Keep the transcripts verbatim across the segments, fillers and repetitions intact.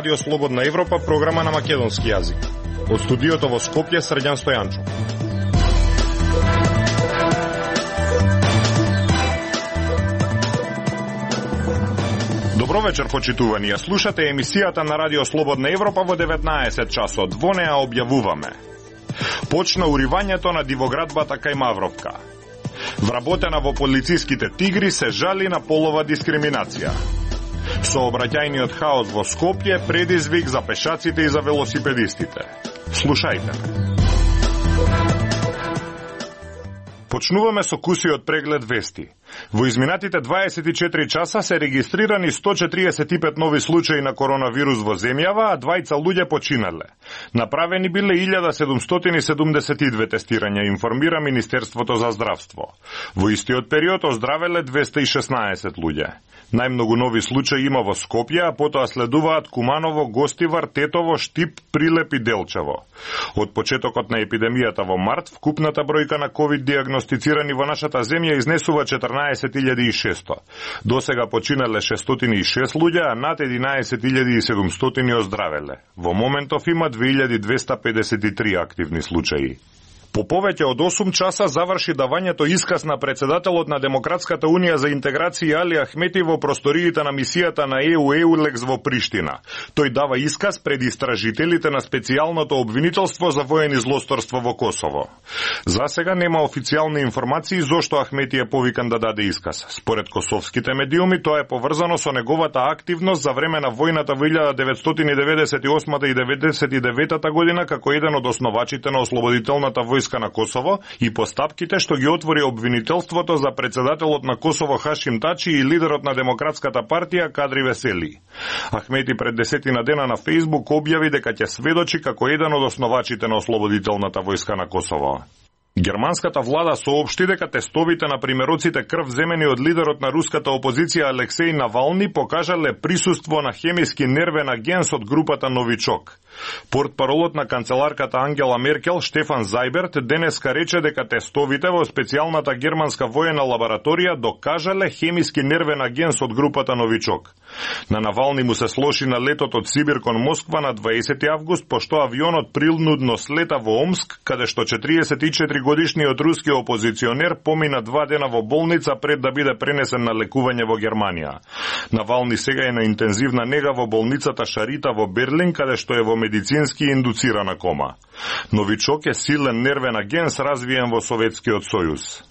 Радио Слободна Европа, програма на македонски јазик. Од студиото во Скопје, Срđan Стојанчов. Добро вечер, почитувани. Ја слушате емисијата на Радио Слободна Европа во деветнаесет часот. Во неа објавуваме: почна уривањето на дивоградбата кај Мавровка. Вработена во полициските тигри се жали на полова дискриминација. Сообраќајниот хаос во Скопје, предизвик за пешаците и за велосипедистите. Слушајте ме. Почнуваме со кусиот преглед вести. Во изминатите дваесет и четири часа се регистрирани сто четириесет и пет нови случаи на коронавирус во земјава, а двајца луѓе починале. Направени биле илјада седумстотини седумдесет и две тестирања, информира Министерството за здравство. Во истиот период оздравеле двеста и шеснаесет луѓе. Најмногу нови случаи има во Скопје, а потоа следуваат Куманово, Гостивар, Тетово, Штип, Прилеп и Делчево. Од почетокот на епидемијата во март, вкупната бројка на ковид диагностицирани во нашата земја изнесува четрнаесет илјади и шесто. Досега починале шестстотини и шест луѓе, а над единаесет илјади и седумстотини оздравеле. Во моментов има две илјади двеста педесет и три активни случаи. По повеќе од осум часа заврши давањето исказ на председателот на Демократската унија за интеграција Али Ахмети во просториите на мисијата на Е У Еулекс во Приштина. Тој дава исказ пред истражителите на специјалното обвинителство за воени злосторство во Косово. За сега нема официјални информации зошто Ахмети е повикан да даде исказ. Според косовските медиуми, тоа е поврзано со неговата активност за време на војната во илјада деветстотини деветдесет и осма и деветдесет и девета година како еден од основачите на ослободителната војска на Косово и постапките што ги отвори обвинителството за председателот на Косово Хашим Тачи и лидерот на Демократската партија Кадри Весели. Ахмети пред десетина дена на Фејсбук објави дека ќе сведочи како еден од основачите на ослободителната војска на Косово. Германската влада соопшти дека тестовите на примероците крв земени од лидерот на руската опозиција Алексеј Навални покажале присуство на хемиски нервен агент од групата Новичок. Портпаролот на канцеларката Ангела Меркел Штефан Зајберт денеска рече дека тестовите во специјалната германска воена лабораторија докажале хемиски нервен агент од групата Новичок. На Навални му се слоши на летот од Сибир кон Москва на дваесети август, пошто авионот принудно слета во Омск, каде што четириесет и четири годишниот руски опозиционер помина два дена во болница пред да биде пренесен на лекување во Германија. Навални сега е на интензивна нега во болницата Шарита во Берлин, каде што е во медицински индуцирана кома. Новичок е силен нервен агент развиен во Советскиот сојуз.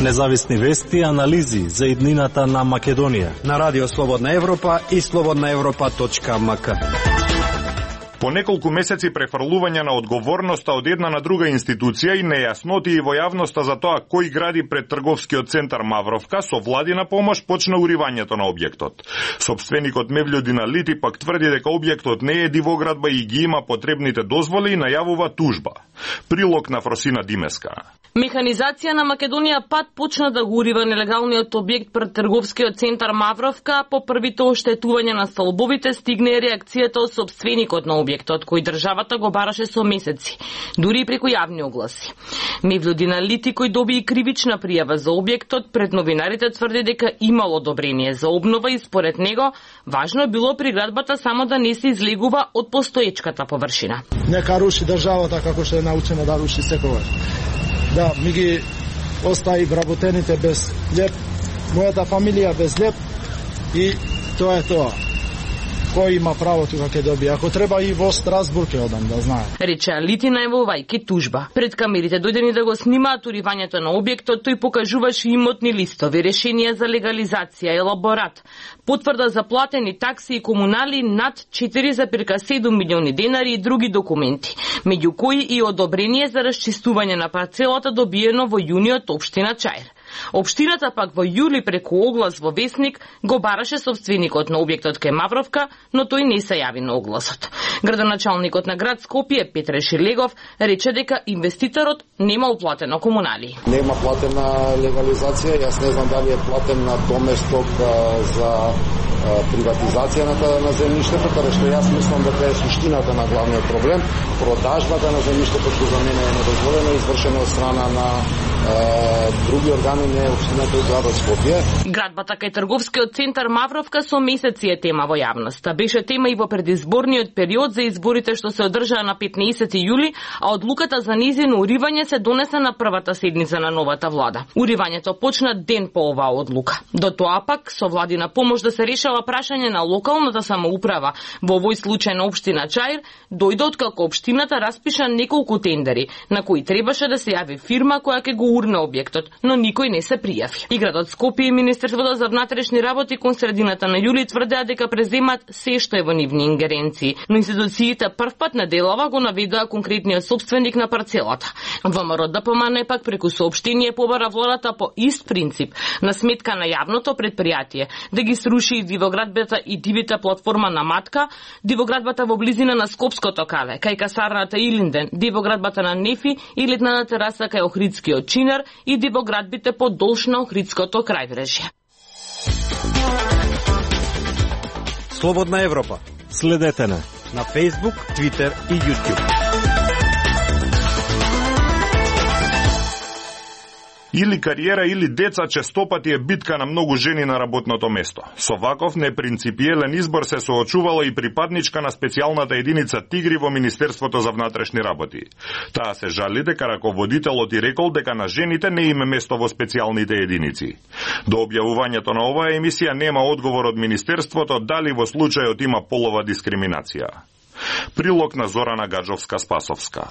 Независни вести и анализи за иднината на Македонија на Радио Слободна Европа и слободна европа точка ем ка. По неколку месеци префрлување на одговорноста од една на друга институција и нејасноти во јавноста за тоа кој гради пред трговскиот центар Мавровка, со владина помош почна уривањето на објектот. Собственикот Мевљо Диналити пак тврди дека објектот не е дивоградба и ги има потребните дозволи и најавува тужба. Прилог на Фросина Димеска. Механизација на Македонија пат почна да го урива нелегалниот објект пред трговскиот центар Мавровка. По првите оштетувања на столбовите стигне реакцијата од собственикот на објектот, кој државата го бараше со месеци, дури и преку јавни огласи. Мевљо Диналити, кој доби и кривична пријава за објектот, пред новинарите тврди дека имало одобрение за обнова и според него важно е било приградбата само да не се излегува од постоечката површина. Нека руши државата како што е научена да руши секогаш. Да, ми ги остави вработените без леп, мојата фамилија без леп и тоа е тоа. Кој има право тука ќе добие? Ако треба и во Страсбург ќе одам, да знае. Рече Алити најавувајќи тужба. Пред камерите дојдени да го снимаат уривањето на објектот, тој покажуваше имотни листови, решенија за легализација, елаборат, потврда за платени такси и комунали над четири зарез седум милиони денари и други документи, меѓу кои и одобрение за расчистување на парцелата добиено во јуни од општина Чаир. Општината пак во јули преку оглас во Весник го бараше собственикот на објектот кај Мавровка, но тој не се јави на огласот. Градоначалникот на град Скопје Петре Шилегов рече дека инвеститорот нема уплатено комунали. Нема платена легализација, јас не знам дали е платен на доместок за приватизација на, на земјиштето, каде што јас мислам дека е суштината на главниот проблем. Продажбата на земјиштето што за мене е недозволено, извршено од страна на други органи не општината и градот Скопје. Градбата кај трговскиот центар Мавровка со месеци е тема во јавноста. Беше тема и во предизборниот период за изборите што се одржаа на петнаесети јули, а одлуката за нејзино уривање се донесе на првата седница на новата влада. Уривањето почна ден по оваа одлука. До тоа пак со владина помош да се решава прашање на локалната самоуправа, во овој случај на општина Чаир, дојде откако општината распиша неколку тендери, на кои требаше да се јави фирма која ќе го урне објектот, но никој не се пријави. И градот Скопје и Министерството за внатрешни работи кон средината на јули тврдеа дека преземат се што е во нивни ингеренции, но институциите првпат на делава го наведоа конкретниот собственик на парцелата. ВМРО Д П М Н пак преку соопштение побара владата по ист принцип, на сметка на јавното предпријатие, да ги сруши и дивоградбата и дивите платформа на Матка, дивоградбата во близина на Скопското кале, кај касарната Илинден, дивоградбата на Нефи и летната тераса кај Охридскиот Чинар и дивоградбите подолж на Охридското крајбрежје. Слободна Европа. Следете на На Facebook, Twitter и YouTube. Или кариера или деца честопати е битка на многу жени на работното место. Со ваков непринципиелен избор се соочувала и припадничка на специјалната единица Тигри во Министерството за внатрешни работи. Таа се жали дека раководителот и рекол дека на жените не име место во специјалните единици. До објавувањето на оваа емисија нема одговор од Министерството дали во случајот има полова дискриминација. Прилог на Зорана Гаджовска-Спасовска.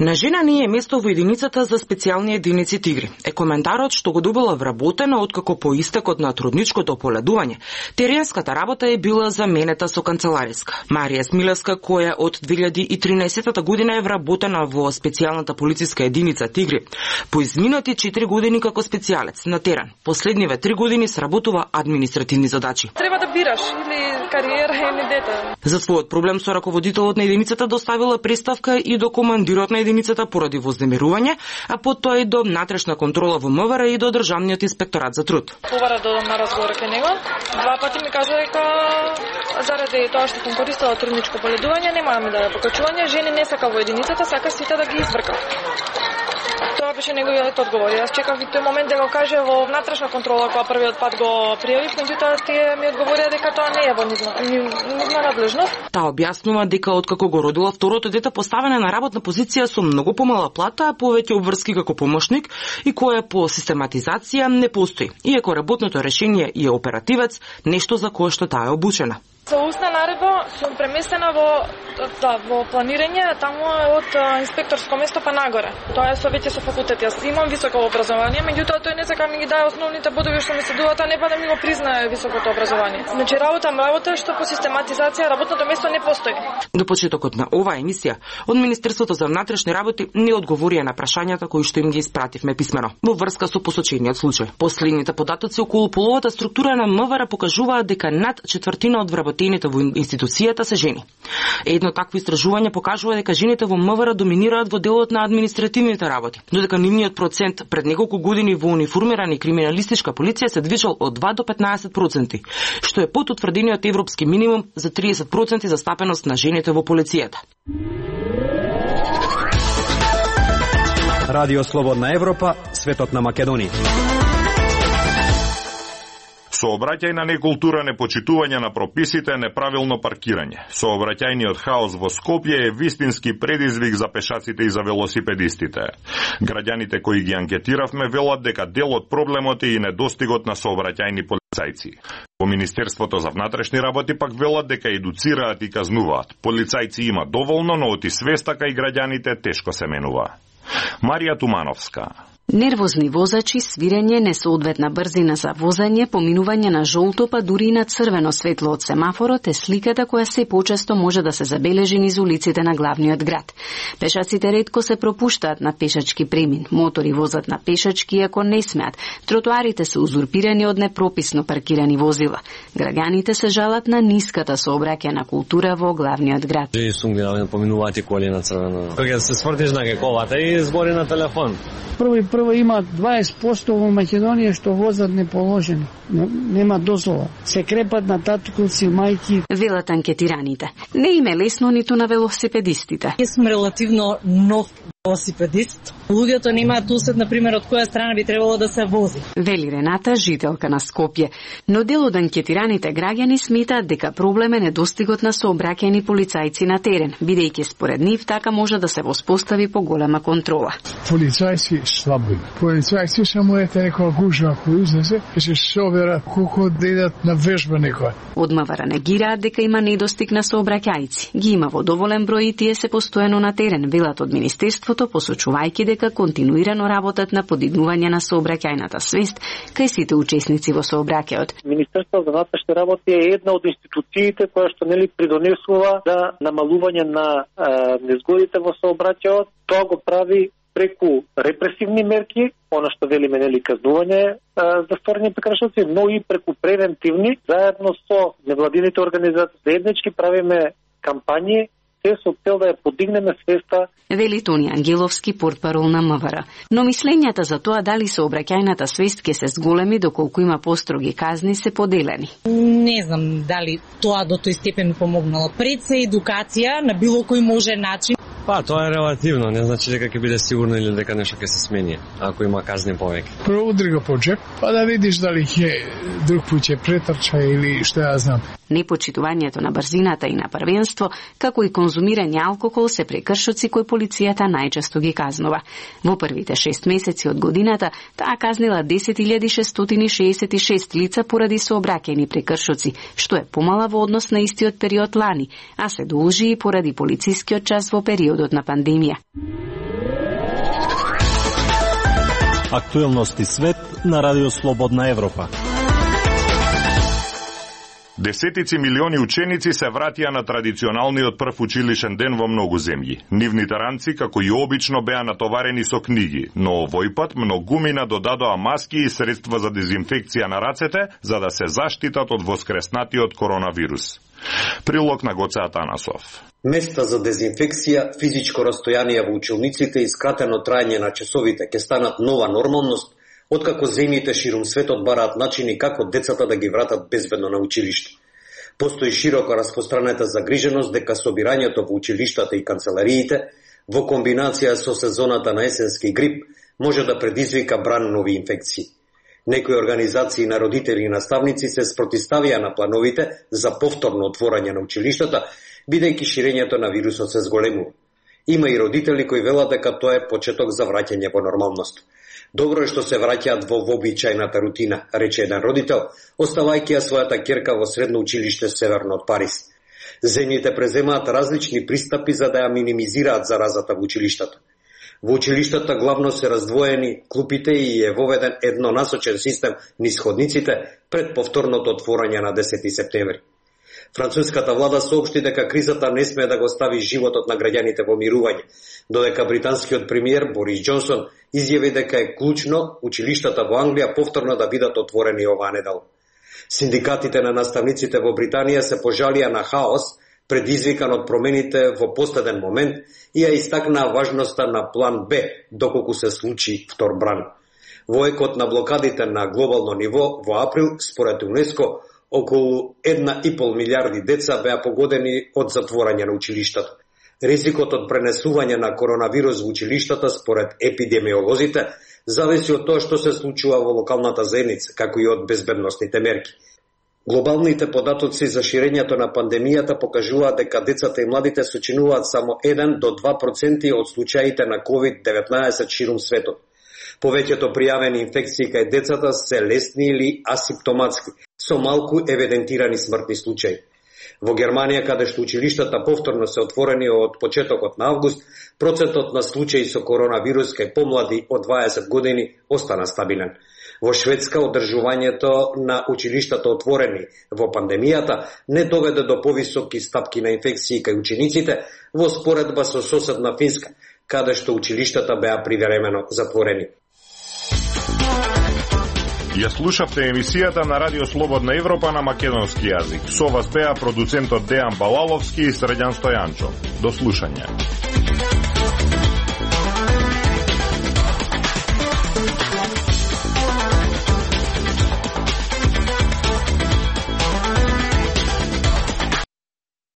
На жена не е место во единицата за специјални единици Тигри. Е коментарот што го добила вработена откако по истекот на трудничкото ополедување. Теренската работа е била заменета со канцелариска. Марија Смилевска, која од две илјади и тринаесетта година е вработена во специјалната полициска единица Тигри, по изминати четири години како специјалец на терен. Последниве три години сработува административни задачи. Треба да бираш или кариера или дете. За својот проблем со раководителот на единицата доставила представка и до командирот на единицата поради вознемирување, а потоа и до внатрешна контрола во М В Р и до Државниот инспекторат за труд. Побара додам на разговор кај него. Два пати ми кажа дека заради тоа што сум користела трудничко поледување нема да ми даде покачување, жени не сака во единицата, сака сите да ги избрка. Тоа беше неговиот одговор. Јас чекав и тој момент да го каже во внатрешна контрола кога првиот пат го пријавив, меѓутоа тие ми одговорија дека тоа не е во нивна, нивна надлежност. Таа објаснува дека откако го родила второто дете поставена на работна позиција со многу помала плата, повеќе обврски како помошник и која по систематизација не постои, иако работното решение и е оперативец, нешто за кое што таа е обучена. Со устна наредба сум преместена во да, во планирање, таму од инспекторско место па нагоре. Тоа е со веќе со факултет. Јас имам високо образование, меѓутоа тој не сака ми ги даде основните бодови што ми се дуваат, а не па да ми го признае високото образование. Значи работам работа што по систематизација работното место не постои. До почетокот на оваа емисија од Министерството за внатрешни работи не одговорија на прашањата кои што им ги испративме писмено во врска со посочениот случај. Последните податоци околу половата структура на М В Р покажуваат дека над четвртина од вработените во институцијата се жени. Едно такво истражување покажува дека жените во М В Р доминираат во делот на административните работи, додека нивниот процент пред неколку години во униформирана и криминалистичка полиција се движел од два до петнаесет проценти, што е под утврдениот европски минимум за триесет проценти застапеност на жените во полицијата. Радио Слободна Европа, светот на Македонија. Сообраќајна некултура, непочитување на прописите, неправилно паркирање. Сообраќајниот хаос во Скопје е вистински предизвик за пешаците и за велосипедистите. Граѓаните кои ги анкетиравме велат дека дел од проблемот е и недостигот на сообраќајни полицајци. Во Министерството за внатрешни работи пак велат дека едуцираат и казнуваат. Полицајци има доволно, но оти свеста кај граѓаните тешко се менува. Марија Тумановска. Нервозни возачи, свирење, несоодветна брзина за возење, поминување на жолто па дури и на црвено светло од семафорот е сликата која се почесто може да се забележи низ улиците на главниот град. Пешаците ретко се пропуштаат на пешачки премин, мотори возат на пешачки ако не смеат, тротоарите се узурпирани од непрописно паркирани возила. Граѓаните се жалат на ниската сообраќајна култура во главниот град. Жени сум ги поминуваати коли на црвено. Кога се свртиш на гековата и збори на телефон. Прво и прво има дваесет проценти во Македонија што возат неположено. Нема дозвола. Се крепат на татковци, мајки. Велат анкетираните. Не им е лесно ниту на велосипедистите. Јас сум релативно нов осипе диск. Луѓето немаат усет, например, од која страна би требало да се вози. Вели Рената, жителка на Скопје. Но дел од анкетираните граѓани сметаат дека проблем е недостигот на сообраќајни полицајци на терен, бидејќи според нив така може да се воспостави поголема контрола. Полицајци слабо има. Полицајци само ете некоја гужва кој излезе, ќе се соберат колку да идат на вежба некоја. Од МВР негираат дека има недостиг на сообраќајци. Ги има во доволен број и тие се постојано на терен, велат од Министерството, посочувајќи дека континуирано работат на подигнување на сообраќајната свест кај сите учесници во сообраќајот. Министерството за внатрешни работи е една од институциите која што нели придонесува за намалување на е, незгодите во сообраќајот. Тоа го прави преку репресивни мерки, она што велиме нели казнување е, за сторени прекршоци, но и преку превентивни, заедно со невладините организации заеднички правиме кампањи се со цел да ја подигнеме свеста. Вели Тони Ангеловски, портпарол на МВР. Но мислењата за тоа дали сообраќајната свест ќе се зголеми доколку има построги казни се поделени. Не знам дали тоа до тој степен помогнало. Пред се едукација на било кој може начин. Па, тоа е релативно, не значи дека ќе биде сигурно или дека нешто ќе се смени, ако има казни повеќе. Прво удри го по джеп, па да видиш дали ќе друг пат ќе претрча или што ја знам. Непочитувањето на брзината и на првенство, како и конзумирање алкохол се прекршоци кои полицијата најчесто ги казнува. Во првите шест месеци од годината таа казнила десет илјади шестстотини шеесет и шест лица поради сообраќајни прекршоци, што е помала во однос на истиот период лани, а се должи и поради полицискиот час во периодот на пандемија. Актуелности свет на Радио Слободна Европа. Десетици милиони ученици се вратија на традиционалниот прв училишен ден во многу земји. Нивните ранци, како и обично, беа натоварени со книги, но овој пат многумина додадоа маски и средства за дезинфекција на рацете, за да се заштитат од воскреснатиот коронавирус. Прилог на Гоце Атанасов. Места за дезинфекција, физичко растојание во училниците и скратено траење на часовите ќе станат нова нормалност, откако земјите ширум светот бараат начини како децата да ги вратат безбедно на училиште. Постои широко распространета загриженост дека собирањето во училиштата и канцелариите, во комбинација со сезоната на есенски грип, може да предизвика бран нови инфекции. Некои организации на родители и наставници се спротивставија на плановите за повторно отворање на училиштата, бидејќи ширењето на вирусот се зголемува. Има и родители кои велат дека тоа е почеток за враќање во нормалност. Добро е што се враќаат во вообичајната рутина, рече еден родител, оставајќи ја својата ќерка во средно училиште северно од Париз. Земјите преземаат различни пристапи за да ја минимизираат заразата во училиштата. Во училиштата главно се раздвоени клупите и е воведен еднонасочен систем низ ходниците пред повторното отворање на десети септември. Француската влада соопшти дека кризата не смее да го стави животот на граѓаните во мирување, додека британскиот премиер Борис Џонсон изјави дека е клучно училиштата во Англија повторно да бидат отворени оваа недела. Синдикатите на наставниците во Британија се пожалија на хаос предизвикан од промените во последен момент и ја истакнаа важноста на план Б доколку се случи втор бран. Во екот на блокадите на глобално ниво во април, според ЮНЕСКО, околу една и пол милиарди деца беа погодени од затворање на училиштата. Ризикот од пренесување на коронавирус во училиштата, според епидемиолозите, зависи од тоа што се случува во локалната заедница, како и од безбедносните мерки. Глобалните податоци за ширењето на пандемијата покажуваат дека децата и младите сочинуваат само еден до два проценти од случаите на ковид деветнаесет ширум светот. Повеќето пријавени инфекции кај децата се лесни или асимптоматски, со малку евидентирани смртни случаи. Во Германија, каде што училиштата повторно се отворени од почетокот на август, процентот на случаи со коронавирус кај помлади од дваесет години остана стабилен. Во Шведска, одржувањето на училиштата отворени во пандемијата не доведе до повисоки стапки на инфекции кај учениците, во споредба со соседна Финска, каде што училиштата беа привремено затворени. Ја слушавте емисијата на Радио Слободна Европа на македонски јазик. Со вас беа продуцентот Дејан Балаловски и Средјан Стојанчо. До слушање.